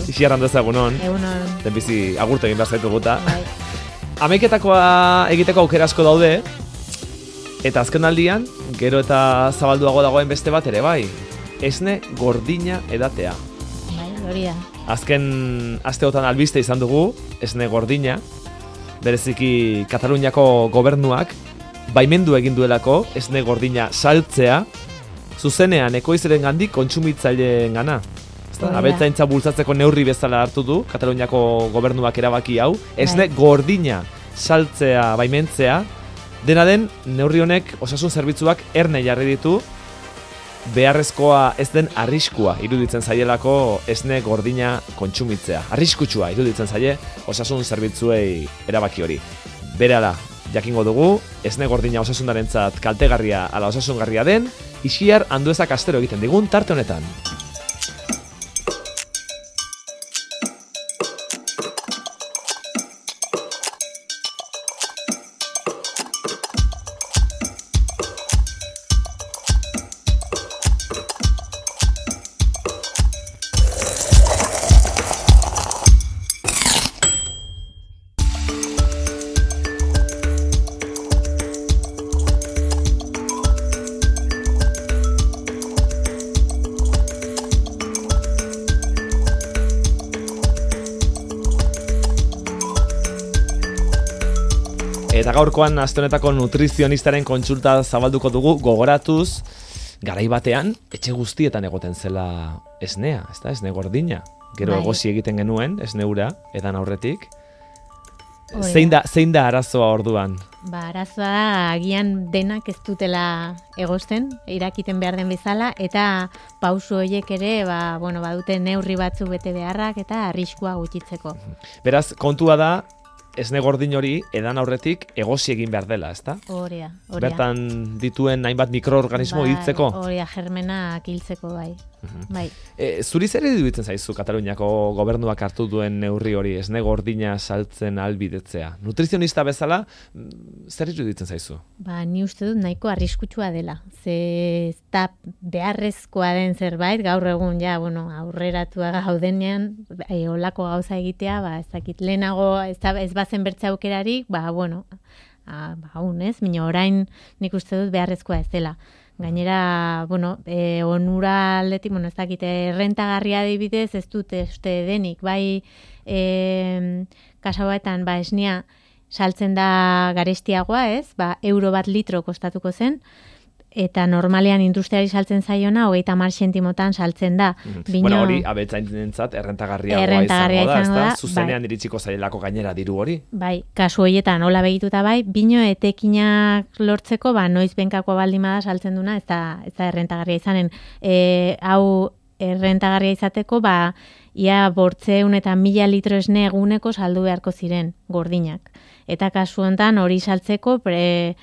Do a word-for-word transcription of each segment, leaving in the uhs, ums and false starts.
Ixiar hando ezagunon. Egunon. Denbizi agurtu egin behar zaitu guta. Bai. Ameiketakoa egiteko aukera asko daude, eta azken aldian, gero eta zabalduago dagoen beste bat ere bai. Esne gordina edatea. Bai, hori da. Azken asteotan albiste izan dugu, esne gordina, bereziki Kataluniako gobernuak, baimendu egin duelako, esne gordina saltzea, zuzenean ekoizren gandik kontsumitzaileen gana. Abeltzaintza bultzatzeko neurri bezala hartu du, Kataluniako gobernuak erabaki hau, esne gordina saltzea, baimentzea, dena den neurri honek osasun zerbitzuak erne jarri ditu, beharrezkoa ez den arriskua iruditzen zaielako esne gordina kontsumitzea. Arriskutsua iruditzen zaie osasun zerbitzuei erabaki hori. Berehala, jakingo dugu, esne gordina osasundarentzat kaltegarria ala osasungarria den, Ixiar Anduezak astero egiten digun tarte honetan. Eta gaurkoan aste honetako nutrizionistaren kontsulta zabalduko dugu, gogoratuz garai batean etxe guztietan egoten zela esnea, ezta? Esne gordina. Gero bai. Egosi egiten genuen esne ura edan aurretik. Zein da, zein da arazoa orduan? Ba, arazoa da agian denak ez dutela egosten, irakiten behar den bezala, eta pausu horiek ere, ba, bueno, badute neurri batzu bete beharrak eta arriskua gutxitzeko. Beraz, kontua da, esne gordin hori edan aurretik egosi egin behar dela, ezta? Hori da, hori da. Bertan dituen hainbat mikroorganismo bai, hiltzeko? Hori da, germenak hiltzeko, bai. Uh-huh. Bai. E, zuri zer iruditzen zaizu Kataluniako gobernuak hartu duen neurri hori, esne gordina saltzen ahalbidetzea? Nutrizionista bezala, zer iruditzen zaizu? Ba, ni uste dut nahiko arriskutsua dela. Ze ez da beharrezkoa den zerbait, gaur egun ja, bueno, aurreratua gaudenean, e, olako gauza egitea, ba, ez dakit lehenago, ez, da, ez bazen bertze aukerarik, ba, bueno, a, ba, un, ez? Mino, orain nik uste dut beharrezkoa ez dela. Gainera, bueno, e, onura aldetik, bueno, ez dakite, errentagarria adibidez, ez dute uste denik, bai e, kasauetan, ba, esnea saltzen da garestiagoa, ez? Ba, euro bat litro kostatuko zen, eta normalean industriari saltzen zaiona, hogeita hamar zentimotan saltzen da. Mm. Bino, bueno, hori abeltzainentzat errentagarria errentagarria izango da, izango da, zuzenean bai. iritsiko zailako gainera diru hori. Bai, kasu horietan hola begituta bai, bino etekinak lortzeko, ba, noiz benkako baldimada saltzen duna, ez da, ez da errentagarria izanen. E, hau errentagarria izateko, ba, ia bortzeun eta mila litro esne eguneko saldu beharko ziren gordinak. Eta kasu honetan hori saltzeko, pre,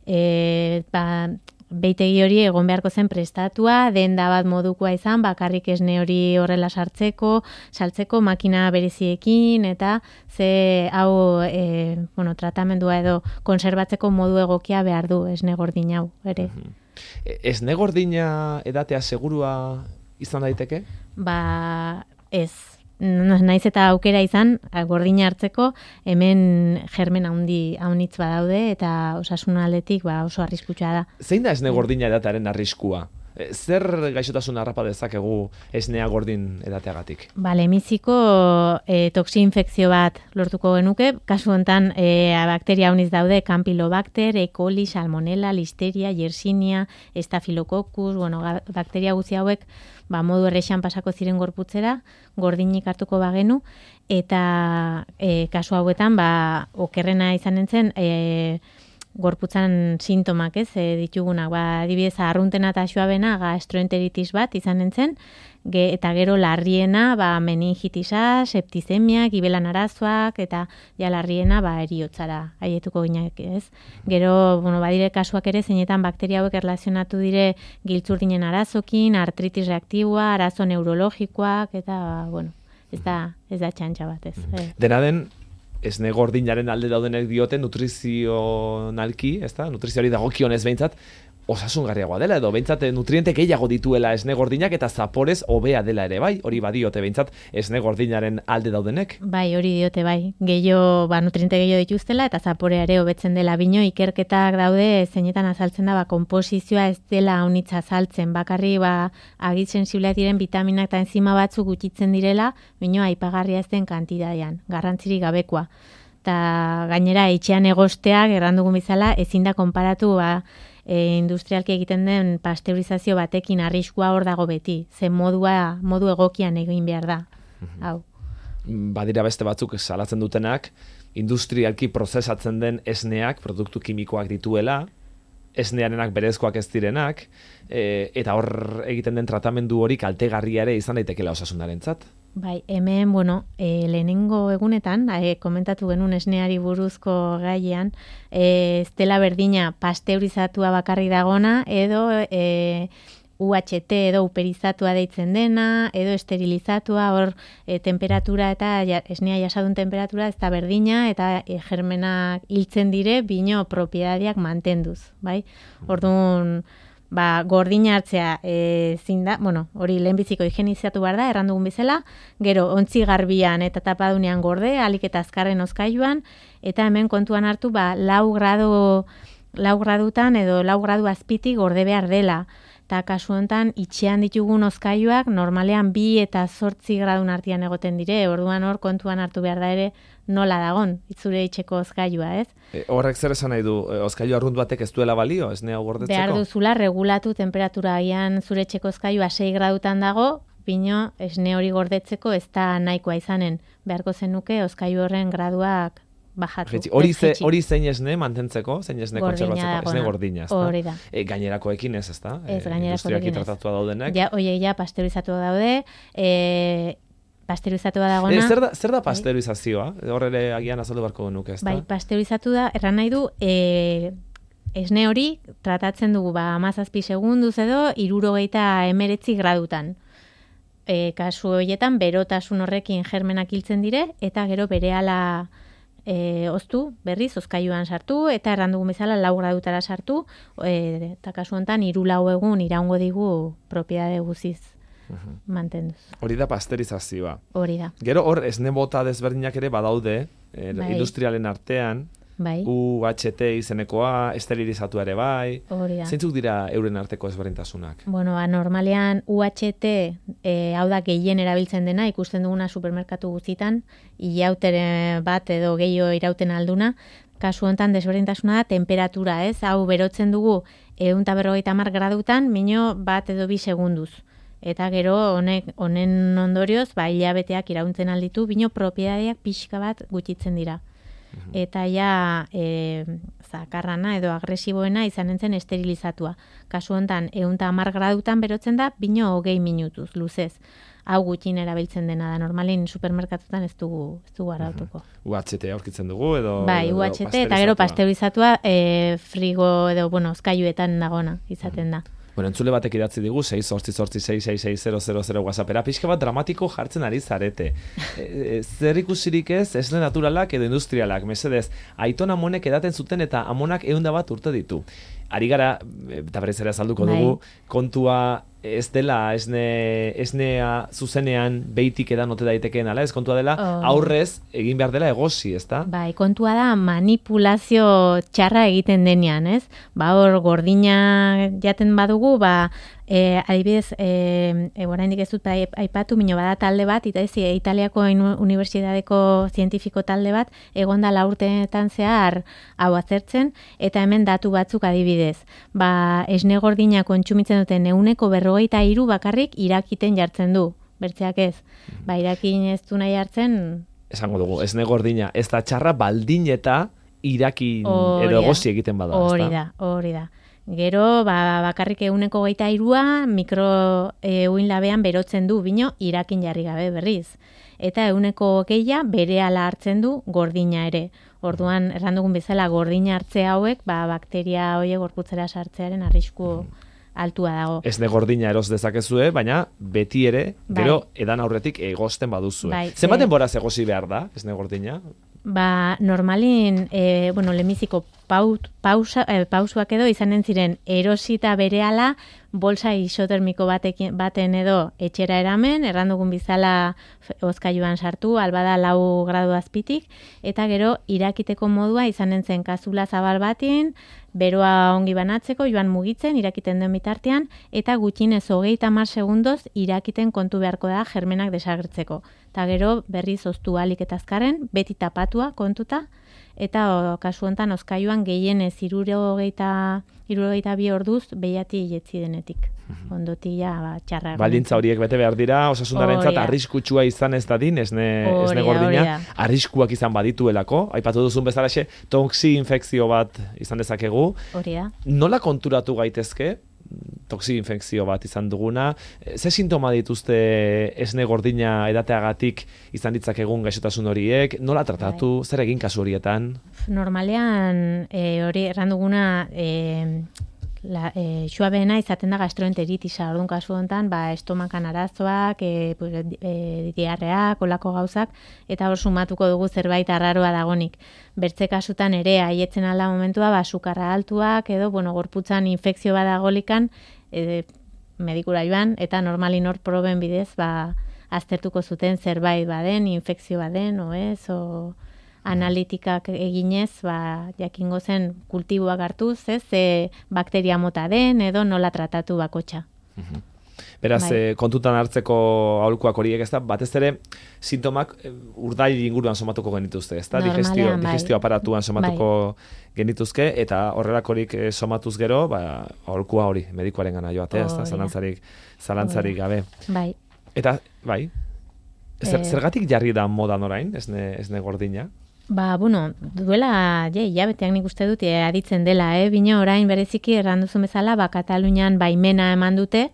e, ba, beitegi hori egon beharko zen prestatua, denda bat modukoa izan, bakarrik esne hori horrela sartzeko, saltzeko makina bereziekin, eta ze hau e, bueno, tratamendua edo konserbatzeko modu egokia behar du esne gordin hau, ere. Uh-huh. Esne gordina edatea segurua izan daiteke? Ba, ez. Naiz eta aukera izan, gordina hartzeko, hemen germen handi haunitz badaude eta osasun aldetik ba, oso arriskutsua da. Zein da esne gordina edatearen arriskua? Zer gaixotasun harrapa dezakegu esnea gordin edateagatik? Ba, lehenbiziko e, toxi-infekzio bat lortuko genuke, kasu honetan e, bakteria hauniz daude, Campylobacter, E. coli, Salmonella, Listeria, Yersinia, Staphylococcus, bueno, bakteria guzti hauek ba, modu errexan pasako ziren gorputzera, gordinik hartuko bagenu, eta e, kasu hauetan, ba, okerrena izan nintzen, e, gorputzan sintomak, ez, e, ditugunak, ba, adibidez, arruntena eta xoabena gastroenteritis bat izan nintzen, ge, eta gero larriena, ba, meningitisa, septizemia, gibelan arazoak, eta ja larriena, ba, eriotzara haietuko ginak, ez. Gero, bueno, badire kasuak ere, zeinetan bakteria hauek erlazionatu dire giltzurdinen arazokin, artritis reaktiboa, arazo neurologikoak, eta, bueno, ez da, ez da txantxa bat, ez. Mm. Dena den, esne gordinaren alde daudenek dioten nutrizionalki, ezta? Nutrizioari dagokionez behintzat, osasungarriagoa dela, edo behintzat nutriente gehiago dituela esne gordinak eta zaporez hobea dela ere, bai? Hori badiote behintzat esne gordinaren alde daudenek? Bai, hori diote, bai. Gehiago, ba, nutriente gehiago dituztela eta zaporea ere hobetzen dela. Bino, ikerketak daude zeinetan azaltzen da, ba, konposizioa ez dela unitza azaltzen. Bakarri, ba, agit sensibleak diren vitaminak eta enzima batzuk gutxitzen direla, bino, aipagarria ez den kantidadean, garrantzirik gabekoa. Eta gainera, etxean egosteak, errandugun bizala, ezin da konparatu, ba, E, industrialki egiten den pasteurizazio batekin arriskua hor dago beti. Ze modua, modu egokian egin behar da. Mm-hmm. Hau. Badira beste batzuk salatzen dutenak, industrialki prozesatzen den esneak, produktu kimikoak dituela, esnearenak berezkoak ez direnak, e, eta hor egiten den tratamendu hori kaltegarria ere izan daitekela osasunarentzat. Bai, hemen, bueno, e, lehenengo egunetan, e, komentatu genuen esneari buruzko gaiean, e, ez dela berdina pasteurizatua bakarri dagona, edo e, U H T edo uperizatua deitzen dena, edo esterilizatua, hor e, temperatura eta ja, esnea jasadun temperatura ez da berdina, eta e, germenak hiltzen dire, bino propiedadiak mantenduz, bai? Orduan, ba, gordina hartzea e, zinda, bueno, hori lehenbiziko higienizatu behar da, errandugun bizela, gero ontzi garbian eta tapadunean gorde, alik eta azkarren oskailuan, eta hemen kontuan hartu, ba, lau gradu, lau gradutan edo lau gradu azpitik gorde behar dela. Eta kasu honetan, itxean ditugun oskailuak normalean bi eta zortzi gradun artean egoten dire, orduan hor kontuan hartu behar da ere nola dagon, itzure itxeko oskailua, ez? E, horrek zer esan nahi du, e, oskailu arrunt batek ez duela balio, esnea gordetzeko? Behar duzula regulatu temperatura, agian zure etxeko oskailua sei gradutan dago, bino esne hori gordetzeko ez da nahikoa izanen, beharko zenuke oskailu horren graduak bajatu. Hori ze, hori zein esne mantentzeko, zein esne kontserbatzeko, esne gordina, ez da? Hori da. E, gainerakoekin ez, ez da? Ez, gainerakoekin ez. Industriaki tratatua daudenek. Ja, oie, ja, pasteurizatua daude, e, pasteurizatua dagona. E, zer da, zer da pasteurizazioa? Hor ere agian azaldu barko nuke, ez da? Bai, pasteurizatu da, erran nahi du, e, esne hori tratatzen dugu, ba, amazazpi segunduz edo, irurogeita emeretzi gradutan. E, kasu horietan, berotasun horrekin germenak hiltzen dire, eta gero berehala E, oztu, berriz, oskailuan sartu, eta errandugun bezala lau gradutara sartu, e, eta kasu honetan, hiru lau egun iraungo digu propiedade guziz uh-huh. mantenduz. Hori da pasteurizazioa. Hori da. Gero hor, esne bota desberdinak ere badaude, e, bai. Industrialen artean, bai. U H T izenekoa, esterilizatu ere bai. Hori da. Zeintzuk dira euren arteko ezberdintasunak? Bueno, ba, normalean U H T e, hau da gehien erabiltzen dena, ikusten duguna supermerkatu guztitan, ilautere bat edo gehiago irauten alduna, kasu honetan desberdintasuna da temperatura, ez? Hau berotzen dugu ehun eta berrogeita hamar gradutan, mino bat edo bi segunduz. Eta gero honek honen ondorioz, ba, hilabeteak irauntzen alditu, bino propiedadeak pixka bat gutxitzen dira. Eta ja e, zakarrana edo agresiboena izan entzen esterilizatua. Kasu honetan, ehun eta hamar gradutan berotzen da, bino hogei minutuz, luzez. Hau gutxin erabiltzen dena da, normalin supermerkatutan ez dugu, ez dugu arautuko. U H T aurkitzen dugu edo... Bai, U H T eta gero pasteurizatua e, frigo edo, bueno, oskailuetan dagona izaten da. Bueno, entzule batek idatzi digu, sei zortzi zortzi sei sei sei zero zero zero WhatsAppera, pixka bat dramatiko jartzen ari zarete. E, zer ikusirik ez, esne naturalak edo industrialak, mesedez, aiton amonek edaten zuten eta amonak ehunda bat urte ditu. Ari gara, eta berez ere azalduko dugu, kontua ez dela esne, esnea zuzenean beitik edan ote daitekeen ala, ez kontua dela oh. aurrez egin behar dela egosi, ez da? Bai, kontua da manipulazio txarra egiten denean, ez? Ba, hor gordina jaten badugu, ba, e, adibidez, e, e, oraindik ez dut aipatu, mino bada talde bat, eta ez, Italiako Unibertsitateko zientifiko talde bat, egonda la urteetan zehar hau azertzen, eta hemen datu batzuk adibidez. Ba, esne gordina kontsumitzen duten ehuneko berrogeita hiru bakarrik irakiten jartzen du, bertzeak ez. Ba, irakin ez du nahi hartzen... Esango dugu, esne gordina, ez da txarra baldin eta irakin edo egosi egiten bada. Hori da, hori da. Gero, ba, bakarrik ehuneko hogeita hirua mikro e, uin labean berotzen du, bino irakin jarri gabe berriz. Eta ehuneko hogeia berehala hartzen du gordina ere. Orduan, errandugun bezala gordina hartze hauek, ba, bakteria horiek gorputzera sartzearen arrisku altua dago. Esne gordina eros dezakezue, baina beti ere, gero bai. Edan aurretik egosten baduzue. Bai, zenbat denboraz egosi behar da, esne gordina? Ba, normalin, e, bueno, lemiziko paut, pausa, eh, pausuak edo izanen ziren erosita berehala bolsa isotermiko batekin, baten edo etxera eramen, errandugun bizala hozkailuan sartu, albada lau gradu azpitik, eta gero irakiteko modua izanen zen kazula zabal batin, beroa ongi banatzeko, joan mugitzen, irakiten den bitartean, eta gutxinez hogeita hamar segundoz irakiten kontu beharko da germenak desagertzeko. Eta gero berriz oztu alik eta azkarren, beti tapatua kontuta, eta o, kasu honetan hozkailuan gehienez hirurogeita hirurogeita bi orduz behiati jetzi denetik. Ondotia ba, txarra. Baldintza horiek bete behar dira, osasundarentzat arriskutsua izan ez dadin, esne, esne gordina, arriskuak izan badituelako, aipatu duzun bezalaxe, toxi infekzio bat izan dezakegu. Hori da. Nola konturatu gaitezke? Toxi infekzio bat izan duguna, ze sintoma dituzte esne gordina edateagatik izan ditzakegun gaixotasun horiek, nola tratatu, bai. Zer egin kasu horietan? Normalean e, hori erran duguna e, la, e, xuabeena izaten da gastroenteritisa, orduan kasu honetan, ba, estomakan arazoak, e, pues, e, diarreak, olako gauzak, eta hor sumatuko dugu zerbait arraroa dagonik. Bertze kasutan ere, haietzen alda momentua, ba, sukarra altuak, edo, bueno, gorputzan infekzio badagolikan, e, medikura joan, eta normalin hor proben bidez, ba, aztertuko zuten zerbait baden, infekzio baden, o ez, o analitikak eginez, ba, jakingo zen kultiboak hartuz, ez, ze bakteria mota den, edo nola tratatu bakotxa. Mhm. Beraz, bai. kontutan hartzeko aholkuak horiek, ez da, batez ere, sintomak urdail inguruan somatuko genituzte, ez da, digestio, bai. digestio aparatuan somatuko bai. genituzke, eta horrelakorik somatuz gero, ba, aholkua hori, medikuaren gana joatea, ez da, zalantzarik, zalantzarik gabe. Bai. Eta, bai, Zer, eh, zergatik jarri da modan orain, esne, esne gordina? Ba, bueno, duela, je, jabeteak nik uste dut, e, aditzen dela, eh? Bino orain bereziki erranduzun bezala, ba, Katalunian baimena eman dute,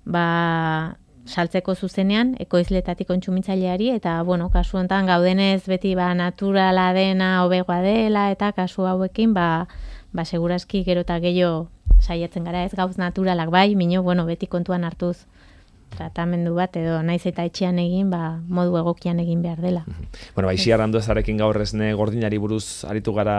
ba, saltzeko zuzenean, ekoizletatik kontsumitzaileari, eta, bueno, kasu honetan gaudenez beti, ba, naturala dena, hobegoa dela, eta kasu hauekin, ba, ba, segurazki gero eta gehiago saiatzen gara, ez gauz naturalak bai, bino, bueno, beti kontuan hartuz tratamendu bat, edo naiz eta etxean egin, ba, modu egokian egin behar dela. Bueno, ba, isi arranduezarekin gaur esne gordinari buruz aritu gara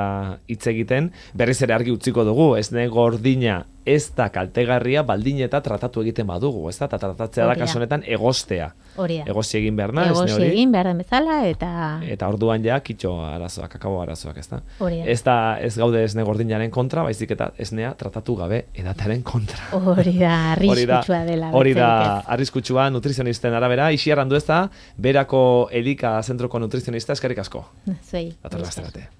hitz egiten, berriz ere argi utziko dugu, esne gordina ez da kaltegarria baldin eta tratatu egiten badugu, ez da? Eta tratatzea da kasu honetan egostea. Hori da. Egosi egin behar na, esne hori. Egosi egin behar den bezala, eta... Eta orduan ja, kitxo arazoak, akabo arazoak, ez da? Hori da. Ez da, ez gaude esne gordinaren kontra, baizik eta esnea tratatu gabe edatearen kontra. Hori da, arriskutsua dela. Hori da, arriskutsua nutrizionisten arabera, isi arrandu ez da, berako Elika zentroko nutrizionista, eskerrik asko. Zuei. Dator